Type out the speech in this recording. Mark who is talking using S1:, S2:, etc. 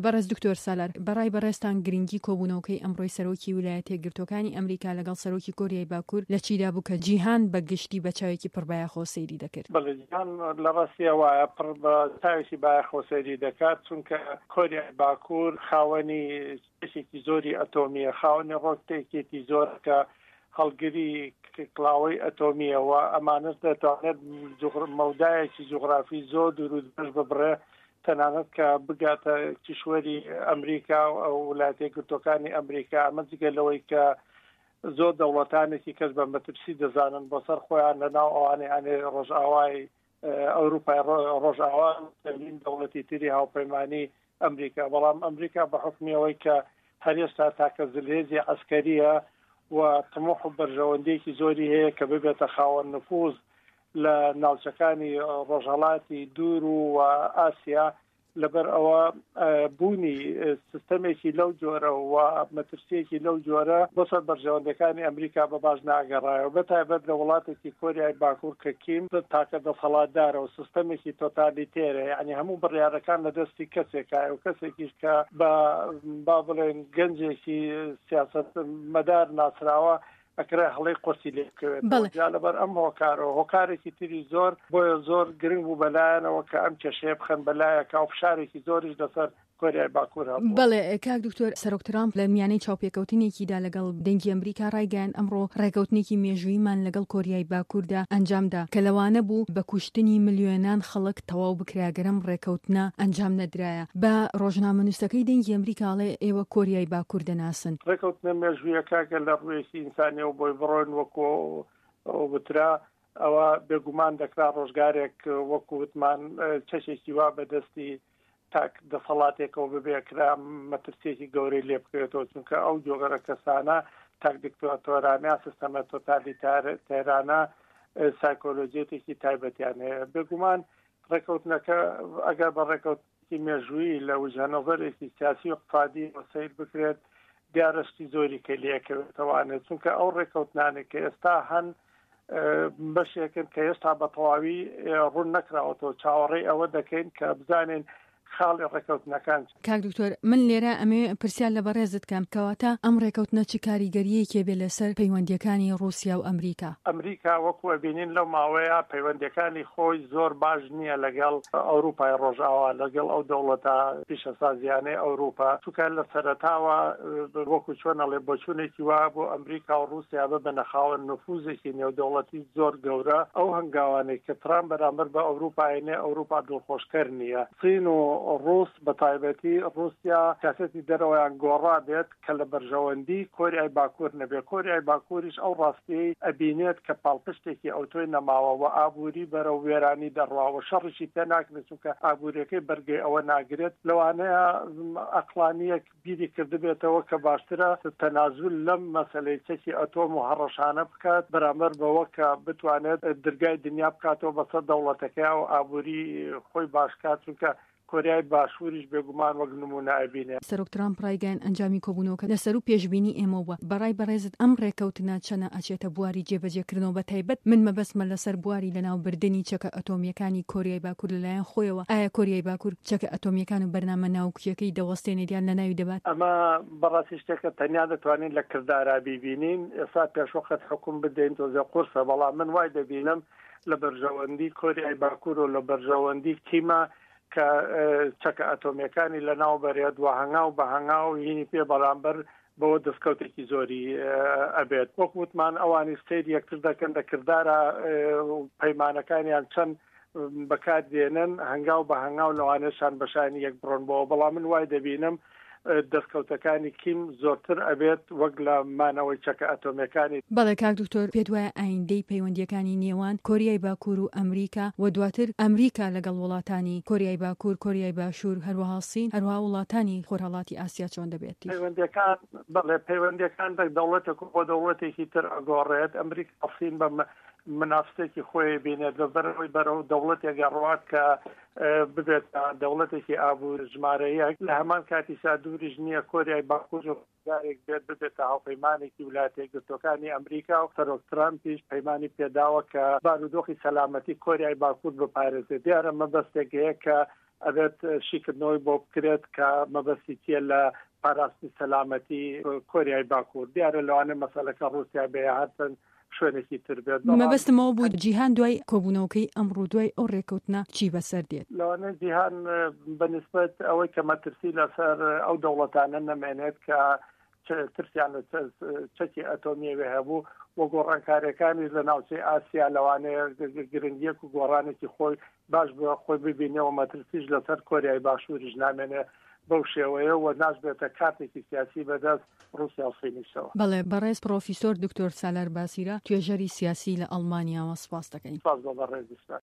S1: بەڕێز دکتۆر سالار، بەڕای بەڕێزتان گرنگی کۆبوونەوەکەی ئەمڕۆی سەرۆکی ویلایەتە یەکگرتووەکانی ئەمریکا لەگەڵ سەرۆکی کۆریای باکوور لە چیدا بوو کە جیهان بە گشتی بە چاوێکی پڕ بایەخەوە سەیری دەکرد؟
S2: بەڵێ جیهان لە ڕاستیا وایە پڕ بە چاوێکی بایەخەوە سەیری دەکات، چونکە کۆریای باکوور خاوەنی چەکێکی زۆری ئەتۆمییە، خاوەنی ڕۆکتێکێکی زۆرە کە هەڵگری کڵاوەی ئەتۆمییە و ئەمانەش دەتوانێت مەودایەکی جوغرافی زۆر دوور و درێژ ببڕێ تەنانەت کە بگاتە کیشوەری ئەمریکا و وڵاتە یەکگرتووەکانی ئەمریکا، ئەمە جگە لەوەی کە زۆر دەوڵەتانێکی کەس بە مەترسی دەزانن بۆ سەر خۆیان لە ناو ئەوانەی ئەنێ ڕۆژئاوای ئەوروپای ڕۆژئاوا چەندین دەوڵەتی تری هاوپەیمانی ئەمریکا، بەڵام ئەمریکا بە حوکمی ئەوەی کە هەر ئێستا تاکە زلهێزی عەسکەریە و تموح و بەرژەوەندیەکی زۆری هەیە کە ببێتە خاوەن نفوز لە ناوچەکانی ڕۆژهەڵاتی دوور و ئاسیا، لەبەر ئەوە بوونی سیستەمێکی لەو جۆرە و مەترسیەکی لەو جۆرە بۆ سەر بەرژەوەندەکانی ئەمریکا بە باش ناگەڕایەوە، بە تایبەت لە وڵاتێکی کۆریای باکوور کە کیم تاکە دەسەڵاتدارە و سیستەمێکی تۆتالیتێرە، یعنی هەموو بڕیارەکان لە دەستی کەسێکایە و کەسێکیش کە بە با بڵێن گەنجێکی سیاسەت مەدار ناسراوە ئەکرێ هەڵەی قورسی لێ بکەوێتەوە. جا لەبەر ئەم هۆکارەوە هۆکارێکی تری زۆر، بۆیە زۆر گرنگ بوو بەلایەنەوە کە ئەم کێشەیە بخەن بەلایەکا و فشارێکی زۆریش لەسەر کۆریای باکوور هەبووە.
S1: بەڵێ کاک دکتۆر، سەرۆک ترامپ لە میانەی چاوپێکەوتنێکیدا لەگەڵ دەنگی ئەمریکا ڕایگەیاند، ئەمڕۆ ڕێکەوتنێکی مێژووییمان لەگەڵ کۆریای باکووردا ئەنجامدا کە لەوانە بوو بە کوشتنی ملیۆنان خەڵک تەواو بکرا گەر ئەم ڕێکەوتنە ئەنجام نەدرایە. بە ڕۆژنامەنووسەکەی دەنگی ئەمریکا ئەڵێ ئێوە کۆریای باکوور دەناسن.
S2: ڕێکەوتنە مێژوویەکە گەر لە ڕوویەکی ئینسانیەوە بۆی بڕۆین وەکو وترا ئەوە بێگومان دەکرا ڕۆژگارێک وەکو وتمان چەکێکی وا بەدەستی تاک دەسەڵاتێکەوە ببێ کرا مەترسیەکی گەورەی لێ بکەوێتەوە، چونکە ئەو جۆگەرە کەسانە تاک دیکتاتۆرانە سیستەمە تۆتالیتارانە سایکۆلۆژیەتێکی تایبەتیان هەیە. بێگومان ڕێکەوتنەکە ئەگەر بە ڕێکەوتنێکی مێژوویی لە وجهە نەزەرێکی سیاسی و اقتصادیەوە سەیر بکرێت دیارە شتی زۆری کە لێکەوێتەوانێت، چونکە ئەو ڕێکەوتنانەی کە ئێستا هەن بەشێکن کە هێشتا بە تەواوی ڕوون نەکراوەتەوە، چاوەڕێی ئەوە دەکەین کە بزانین خاڵی ڕێکەوتنەکان.
S1: کاک دکتۆر من لێرە ئەمەوێ پرسیار لە بەڕێزت کەم کەواتە ئەم ڕێکەوتنە چ کاریگەرییەکی ئەبێ لەسەر پەیوەندییەکانی ڕووسیا و ئەمریکا؟
S2: ئەمریکا وەکو ئەبینین لەو ماوەیە پەیوەندییەکانی خۆی زۆر باش نییە لەگەڵ ئەوروپای ڕۆژئاوا، لەگەڵ ئەو دەوڵەتە پیشەسازییانەی ئەوروپا، چونکە لە سەرەتاوە وەکو چۆن ئەڵێ بۆچوونێکی وا هەبوو ئەمریکا و ڕووسیا ببنە خاوەن نفوزێکی نێودەوڵەتی زۆر گەورە، ئەو هەنگاوانەی کە ترامپ بەرامبەر بە ئەوروپا ئەینێ ئەوروپا دڵخۆشکەر نییە. چین و ڕووس بە تایبەتی ڕووسیا سیاسەتی دەرەوەیان گۆڕابێت کە لە بەرژەوەندی کۆریای باکوور نەبێت، کۆریای باکووریش ئەو ڕاستییەی ئەبینێت کە پاڵپشتێکی ئەوتۆی نەماوە و ئابووری بەرەو وێرانی دەڕوا و شەڕیشی پێ ناکرێت چونکە ئابووریەکەی بەرگەی ئەوە ناگرێت، لەوانەیە ئەقڵانییەک بیری کردبێتەوە کە باشترە تەنازول لەم مەسەلەی چەکی ئەتۆم و هەڕەشانە بکات بەرامبەر بەوە کە بتوانێت درگای دنیا بکاتەوە بەسەر دەوڵەتەکەیا و ئابووری خۆی باش کات، چونکە کۆریای باشووریش بێگومان وەک نموونە ئەبینێ.
S1: سەرۆک ترامپ ڕایگەیاند ئەنجامی کۆبوونەوەکە لە سەروو پێشبینی ئێمەوە بووە. بە ڕای بەڕێزت ئەم ڕێکەوتنە چەنە ئەچێتە بواری جێبەجێکردنەوە بە تایبەت من مەبەستمە لەسەر بواری لەناوبردنی چەکە ئەتۆمییەکانی کۆریای باکوور لەلایەن خۆیەوە ئایا کۆریای باکوور چەکە ئەتۆمییەکان و بەرنامە ناوکییەکەی دەوەستێنێت یان لەناوی دەبات؟
S2: ئەمە بەڕاستی شتێکە تەنیا دەتوانین لە کردارا بیبینین، ئێستا پێشوەخت حوکم بدەین تۆزێ قورسە، بەڵام من وای دەبینم لە بەرژەوەندی کۆریای باکوور و لە بەرژەوەندی کیمە کە چەکە ئەتۆمییەکانی لەناو بەرێت و هەنگاو بە هەنگاو هینی پێ بەرامبەر بەوە دەستکەوتێکی زۆری ئەبێت. وەک وتمان ئەوانیش سەیری یەکتر دەکەن لە کردارا پەیمانەکانیان چەند بەکار دێنن، هەنگاو بە هەنگاو لەوانەیە شان بە شانی یەک بڕۆن بۆوە، بەڵام من وای دەبینم دەستکەوتەکانی کیم زۆرتر ئەبێت وەک لە مانەوەی چەکە ئەتۆمیەکانی.
S1: بەڵێ کاک دکتۆر پێت وایە ئایندەی پەیوەندیەکانی نێوان کۆریای باکور و ئەمریکا و دواتر ئەمریکا لەگەڵ وڵاتانی کۆریای باکور، کۆریای باشور هەروەها سین هەروەها وڵاتانی خۆرهەڵاتی ئاسیا چۆن دەبێت؟
S2: پەیوەندیەکان بەڵێ پەیوەندیەکان لە دەوڵەتێک بۆ دەوڵەتێکی تر ئەگۆڕێت، ئەمریکا سین بە منافسێکی خۆی بینێت بە بەرەوەی بەرەو دەوڵەتێک ئەڕوات کە ببێت دەوڵەتێکی ئابوور ژمارە یەک، لە هەمان کاتیشا دووریش نییە کۆریای باکوور ڕۆژگارێک بێت ببێتە هاوپەیمانێکی ولایەتە یەکگرتووەکانی ئەمریکا و سەرۆک ترامپیش پەیمانی پێداوە کە بارودۆخی سەلامەتی کۆریای باکوور بپارێزێت. دیارە مەبەستێک هەیە کە ئەبێت شیکردنەوەی بۆ بکرێت کە مەبەستی چییە لە پاراستنی سەلامەتی کۆریای باکوور. دیارە لەوانەیە مەسەلەکە ڕووسیا بێ یا هەر چەند شوێنێکی تر بێت، بەڵام.
S1: مەبەستم ئەوە بوو جیهان دوای کۆبوونەوەکەی ئەمڕۆ دوای ئەو ڕێککەوتنە چی بەسەر دێت؟
S2: لەوانەیە جیهان بە نیسبەت ئەوەی کە مەترسی لەسەر ئەو دەوڵەتانە نەمێنێت کە ترسیان لە چەکی ئەتۆمیەوە هەبوو و گۆڕانکاریەکانیش لە ناوچەی ئاسیا لەوانەیە گرنگیەک و گۆڕانێکی خۆی باش بە خۆی ببینێ و مەترسیش لەسەر کۆریای باشووریش نامێنێ بەو شێوەیە و ناشبێتە کارتێکی سیاسی بەدەست ڕووسیا و صینیشەوە.
S1: بەڵێ بەڕێز پڕۆفیسۆر دکتۆر سالار باسیرە توێژەری سیاسی لە ئەڵمانیاوە سپاست دەکەین.
S2: سپاس بۆ بەڕێزیشتان.